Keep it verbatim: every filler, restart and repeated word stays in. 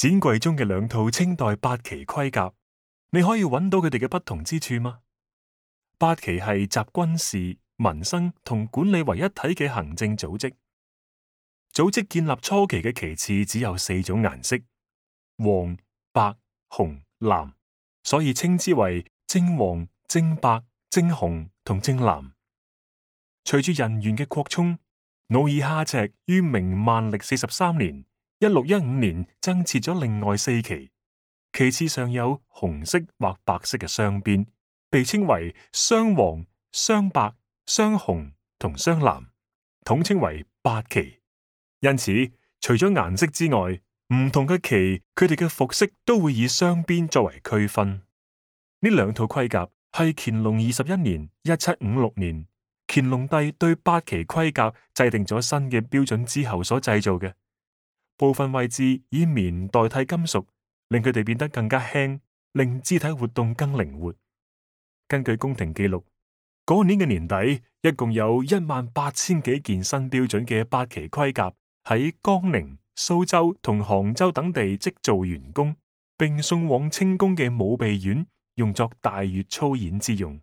展櫃中嘅兩套清代八旗盔甲，你可以揾到佢哋嘅不同之處嗎？八旗係集軍事、民生同管理為一體嘅行政組織。組織建立初期嘅旗幟只有四種顏色：黃、白、紅、藍，所以稱之為正黃、正白、正紅同正藍。隨住人員嘅擴充，努爾哈赤於明萬曆四十三年（一六一五年）增設咗另外四旗，旗幟上有紅色或白色嘅雙邊，被稱為雙黃、雙白、雙紅同雙藍，統稱為八旗。因此，除咗顏色之外，唔同嘅旗佢哋嘅服飾都會以雙邊作為區分。呢兩套盔甲係乾隆二十一年（一七五六年）乾隆帝對八旗盔甲制定咗新嘅標準之後所製造嘅。部分位置以棉代替金屬，令佢哋變得更加輕，令肢體活動更靈活。根據宮廷記錄，嗰年嘅年底，一共有一萬八千幾件新標準嘅八旗盔甲喺江寧、蘇州同杭州等地織造完工，並送往清宮嘅武備院，用作大閱操演之用。